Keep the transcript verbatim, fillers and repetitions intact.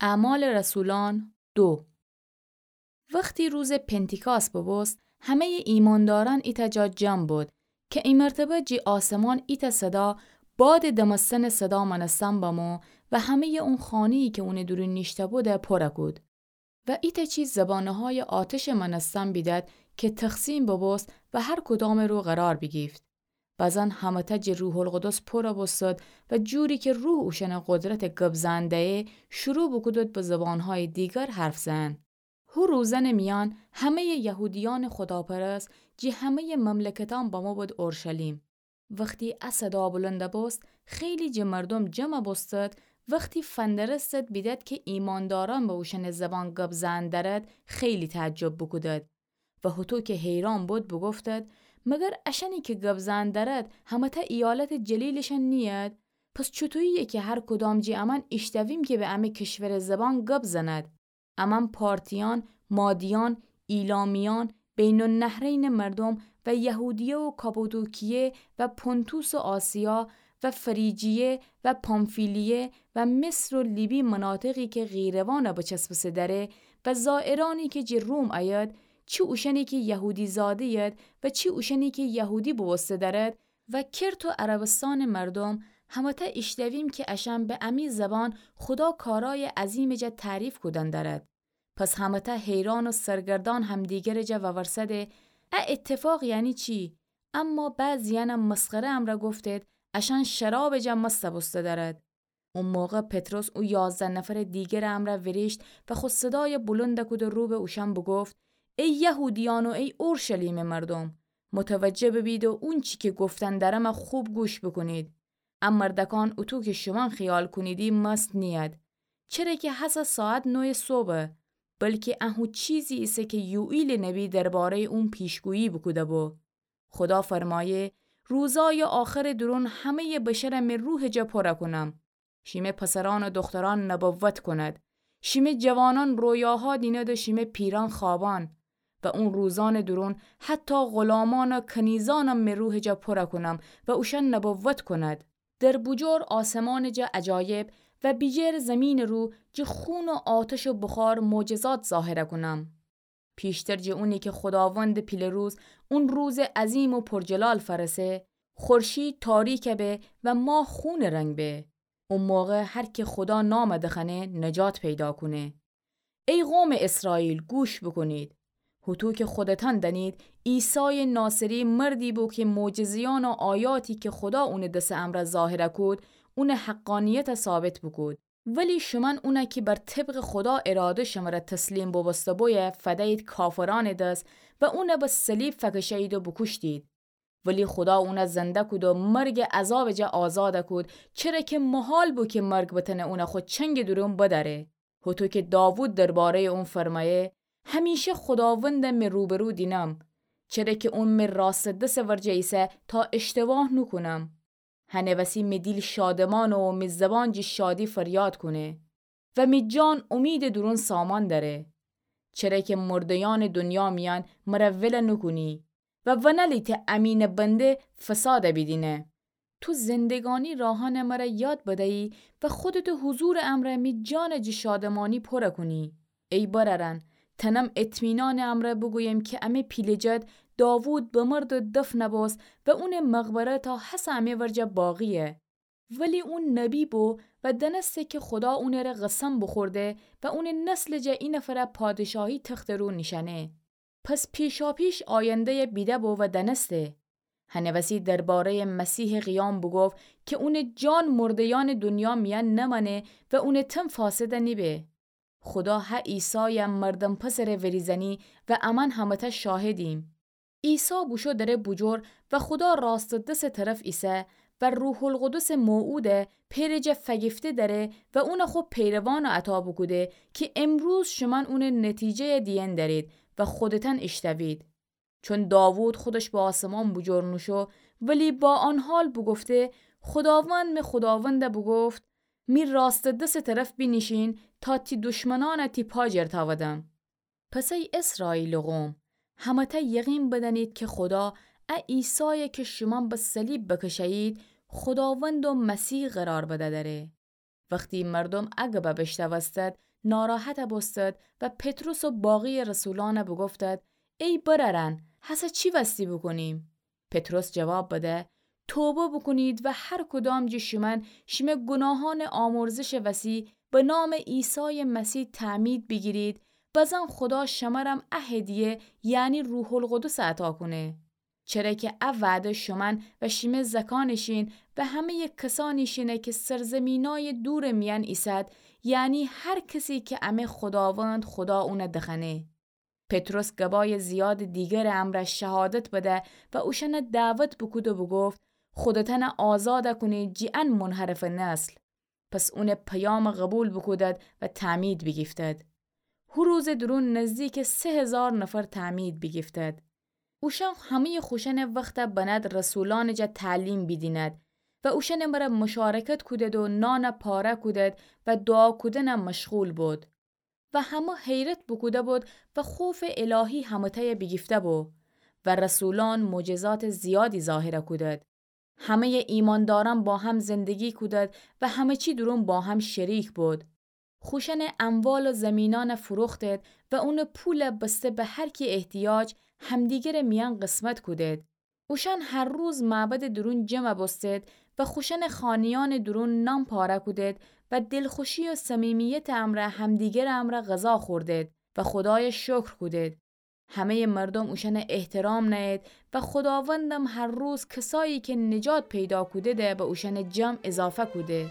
اعمال رسولان دو. وختی روزٚ پنتیکاس ببوست، همه‌یٚ ایماندارأن ایتأ جا جمع بد، کی ایمرتبه جی آسمان ایتأ صدا بادٚ دمستنٚ صدا مأنستن بمو و همه‌یٚ اون خانه‌یی کی اونٚ دورون نیشته‌بودی پورَ کود. و ایتأ چی زبانه‌هایٚ آتشٚ مأنستن بیدد کی تقسیم ببوست و هر کدامٚ رو قرار بیگیفت. بزن همه‌تأ جٚه روح‌القدس پورَ بوستد و جوری کی روح اوشأنَ قدرتٚ گب زئن دهیی، شروع بوکودد به زبانهایٚ دیگر حرف زئن. هو روزأنٚ میأن همه‌یٚ یهودیأنٚ خوداپرست جٚه همه‌یٚ مملکتأن بموبود اورشلیم. وختی ا صدا بلند بوست، خیلی جٚه مردوم جمع بوستد. وختی فندرستد بیدد کی ایماندارأن به اوشأنٚ زبان گب زئن درد، خیلی تعجب بوکودد. و هوطو کی حیران بد بوگفتد: مگر اشأنی کی گب زئن درد همه‌تأ ایالتٚ جلیلشأن نیید؟ پس چوطویی‌یه کی هر کدام جٚه امأن ایشتویم کی به امه کشورٚ زبان گب زند؟ امأن پارتیأن، مادیأن، ایلامیأن، بین‌النهرینٚ مردوم و یهودیه و کاپادوکیه و پنطوس و آسیا و فریجیه و پامفیلیه و مصر و لیبی مناطقی کی قیروأن بچسبسه دأره و زائرأنی کی جٚه روم ایید، چی اوشأنی کی یهودی‌زاده‌ید و چی اوشأنی کی یهودی بوبوسته دأرد، و کرت و عربستانٚ مردوم، همه‌تأ ایشتویم کی اشأن به امی زبان خودا کارأیٚ عظیمٚ جا تعریف کودن درد. پس همه‌تأ حیران و سرگردأن همدیگرٚ جا وورسده: ا اتفاق یعنی چی؟ اما بعضی‌یأن مسخره امرأ گفتید: اشأن شرابٚ جا مست بوسته دأرد. او موقع پطرس او یازده نفرٚ دیگرٚ امرأ ویریشت و خو صدای بلند کود و رو به اوشأن بوگفت: ای یهودیأن و ای اورشلیمٚ مردوم، متوجه ببید و اونچی کی گفتن دأرم خوب گوش بوکونید. ا مردکان اوطو کی شومأن خیال کونیدی مست نیید، چره کی هسه ساعت نویٚ صبحه، بلکی ا هو چیزی ایسه کی یوئیلٚ نبی درباره‌یٚ اون پیشگویی بوکوده‌بو. خودا فرمایه: روزای آخرٚ دورون همه‌یٚ بشر می روحٚ جا پورَ کونم. شیمه پسرأن و دخترأن نبوت کوند. شیمه جوانأن رویاها دینید و شیمه پیرأن خوابأن. و اون روزأنٚ دورون حتی غلامأن و کنیزأنم می روحٚ جا پورَ کونم و اوشأن نبوت کوند. در بوجور آسمانٚ جا عجایب و بیجیر زیمینٚ رو جٚه خون و آتش و بخار معجزات ظاهرَ کونم. پیشتر جٚه اونی کی خوداوندٚ پیله‌روز، اون روزٚ عظیم و پرجلال فأرسه، خورشید تاریکَ به و ماه خونٚ رنگ به. او موقع هر کی خودا نامَ دخوأنه نجات پیدا کونه. ای قومٚ اسرائیل، گوش بوکونید. هوطو کی خودتأن دأنید، عیسایٚ ناصری مردی بو کی معجزه‌یأن و آیاتی کی خودا اونٚ دسٚ امرأ ظاهرَ کود، اونٚ حقانیتَ ثابت بوکود. ولی شومأن اونَ کی بر طبقٚ خودا اراده شمره تسلیم بوبوسته‌بویه فدیید کافرأنٚ دس و اونَ به صلیب فکشه‌یید و بوکوشتید. ولی خودا اونَ زنده کود و مرگٚ عذابٚ جا آزادَ کود، چره کی محال بو کی مرگ بتأنه اونَ خو چنگٚ دورون بدأره. هوطو کی داوود درباره‌یٚ اون فرمایه: همیشه خوداوندَ می روبرو دینم، چره کی اون می راستٚ دسٚ ورجه ایسه تا اشتباه نوکونم. هنٚ وسی می دیل شادمانه و می زبان جٚه شادی فریاد کونه و می جان اومیدٚ دورون سامان دأره. چره کی مرده‌یأنٚ دونیا میأن مره ولَ نوکونی و ونألیتی امینٚ بنده فسادَ بیدینه. تو زندگانی راهأنَ مره یاد بدیی و خودتٚ حضورٚ امرأ می جانَ جٚه شادمانی پورَ کونی. ای برأرأن، تأنم اطمینانٚ امرأ بوگویم کی امی پیله جد داوود بمرد و دفنَ بوست و اونٚ مقبره تا هسه امی ورجه باقییه. ولی اون نبی بو و دأنسته کی خودا اونٚره قسم بوخورده و اونٚ نسلٚ جا اینفرَ پادشاهی تختٚ رو نیشأنه. پس پیشاپیش آینده‌یَ بیده‌بو و دأنسته. هنٚ وسی درباره‌یٚ مسیحٚ قیام بوگفت کی اونٚ جان مرده‌یأنٚ دونیا میأن نمأنه و اونٚ تن فاسدَ نیبه. خودا هه عیسایَ مردم پسرٚ وریزأنی و امأن همه‌تأ شاهدیم. عیسی بوشو دره بوجور و خودا راستٚ دسٚ طرف ایسه و روح‌القدسٚ موعودَ پئرٚ جا فگیفته دره و اونَ خو پیروانَ عطا بوکوده کی امروز شومأن اونٚ نتیجه‌یَ دیئن درید و خودتأن ایشتوید. چون داوود خودش به آسمان بوجور نوشو، ولی با آن حال بوگفته: خوداوند می خوداوندَ بوگفت: می راستٚ دسٚ طرف بینیشین تا تی دشمنأنَ تی پا جر تأودم. پس ای اسرائیلٚ قوم، همه‌تأ یقین بدأنید کی خودا ا عیسایَ کی شومأن به صلیب بکشه‌یید، خوداوند و مسیح قرار بده دره. وختی مردوم ا گبه بیشنوستد، ناراحت بوستد و پطرس و باقی رسولان بوگفتد: ای برأرأن، هسه چی وستی بوکونیم؟ پطرس جواب بده: توبه بوکونید و هر کدام جٚه شومأن شیمه گوناهأنٚ آمرزشٚ وسی به نامٚ عیسایٚ مسیح تعمید بیگیرید، بزن خودا شمرم ا هدیه، یعنی روح‌القدس عطا کونه. چره کی ا وعده شومأن و شیمه زکأنٚ شین و همه‌یٚ کسأنی شینه کی سرزیمینأیٚ دورٚ میأن ایسد، یعنی هر کسی کی امه خوداوند خودا اون دخوأنه. پطرس گبایٚ زیادٚ دیگرٚ امرأ شهادت بده و اوشأن دعوت بوکود و بوگفت: خودتأن آزاد کونید جٚه ان منحرفٚ نسل. پس اونٚ پیام قوبیل بوکودد و تعمید بیگیفتد. هو روزٚ دورون نزدیکٚ سه هیزار نفر تعمید بیگیفتد. اوشأن همه‌یٚ خوشأنٚ وخت بند رسولأنٚ جا تعلیم بیدیند و اوشأنٚ مرأ مشارکت کودد و نان پاره کودد و دوعا کودن مشغول بود. و همه حیرت بوکوده بود و خوفٚ الهی همه‌تأی بیگیفته بو و رسولأن معجزاتٚ زیادی ظاهر کودد. همه‌یٚ ایماندارأن با هم زندگی کودد و همه چی دورون با هم شریک بود. خوشأنٚ اموال و زمینأن فروختد و اونٚ پول بسته به هر کی احتیاج همدیگرٚ میأن قسمت کودد. اوشأن هر روز معبدٚ دورون جمع بوستد و خوشأنٚ خانه‌یأنٚ دورون نان پاره کودد و دلخوشی و صمیمیتٚ امرأ همدیگرٚ امرأ غذا خوردد و خودای شکر کودد. همه‌یٚ مردوم اوشأن احترام نأیید و خوداوندم هر روز کسایی کی نجات پیدا کودده به اوشأنٚ جمع اضافه کوده.